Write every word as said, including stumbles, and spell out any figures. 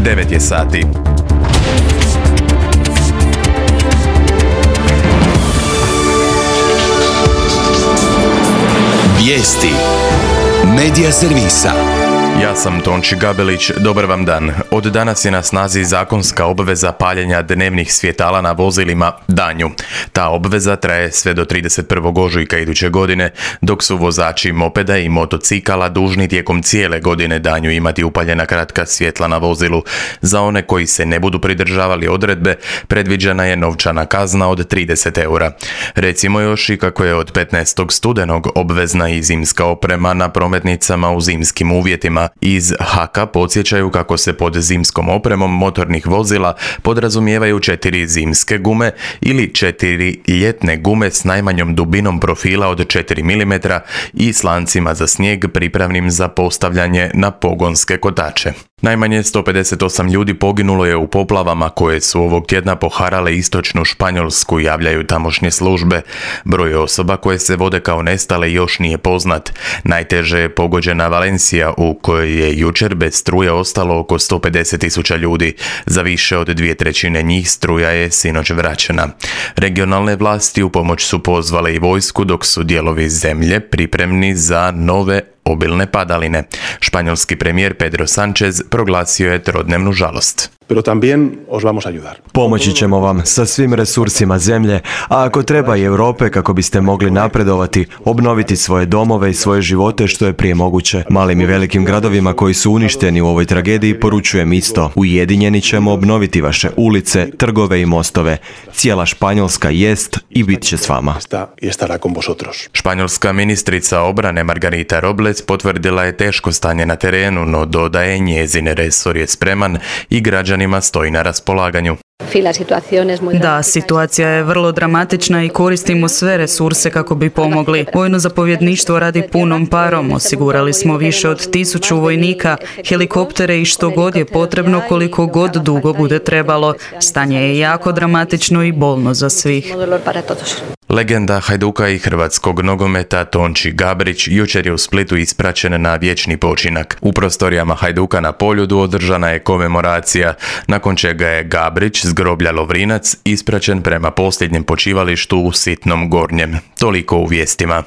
devet je sati. Vijesti Medija servisa. Ja sam Tonči Gabelić, dobar vam dan. Od danas je na snazi zakonska obveza paljenja dnevnih svjetala na vozilima danju. Ta obveza traje sve do trideset prvog ožujka iduće godine, dok su vozači mopeda i motocikala dužni tijekom cijele godine danju imati upaljena kratka svjetla na vozilu. Za one koji se ne budu pridržavali odredbe, predviđena je novčana kazna od trideset eura. Recimo još i kako je od petnaestog studenog obvezna i zimska oprema na prometnicama u zimskim uvjetima. Iz Haka podsjećaju kako se pod zimskom opremom motornih vozila podrazumijevaju četiri zimske gume ili četiri ljetne gume s najmanjom dubinom profila od četiri milimetra i s lancima za snijeg pripravnim za postavljanje na pogonske kotače. Najmanje sto pedeset osam ljudi poginulo je u poplavama koje su ovog tjedna poharale istočnu Španjolsku, javljaju tamošnje službe. Broj osoba koje se vode kao nestale još nije poznat. Najteže je pogođena Valencija u kojoj je jučer bez struje ostalo oko sto pedeset tisuća ljudi. Za više od dvije trećine njih struja je sinoć vraćena. Regionalne vlasti u pomoć su pozvale i vojsku, dok su dijelovi zemlje pripremni za nove obilne padaline. Španjolski premijer Pedro Sánchez proglasio je trodnevnu žalost. Pero también os vamos a ayudar. Pomoći ćemo vam sa svim resursima zemlje, a ako treba i Europe kako biste mogli napredovati, obnoviti svoje domove i svoje živote što je prije moguće. Malim i velikim gradovima koji su uništeni u ovoj tragediji poručujem isto. Ujedinjeni ćemo obnoviti vaše ulice, trgove i mostove. Cijela Španjolska jest i bit će s vama. Španjolska ministrica obrane Margarita Robles potvrdila je teško stanje na terenu, no dodaje njezin resor je spreman i građanima stoji na raspolaganju. Da, situacija je vrlo dramatična i koristimo sve resurse kako bi pomogli. Vojno zapovjedništvo radi punom parom, osigurali smo više od tisuću vojnika, helikoptere i što god je potrebno, koliko god dugo bude trebalo. Stanje je jako dramatično i bolno za svih. Legenda Hajduka i hrvatskog nogometa Tonči Gabrić jučer je u Splitu ispraćen na vječni počinak. U prostorijama Hajduka na Poljudu održana je komemoracija, nakon čega je Gabrić s groblja Lovrinac ispraćen prema posljednjem počivalištu u Sitnom Gornjem. Toliko u vijestima.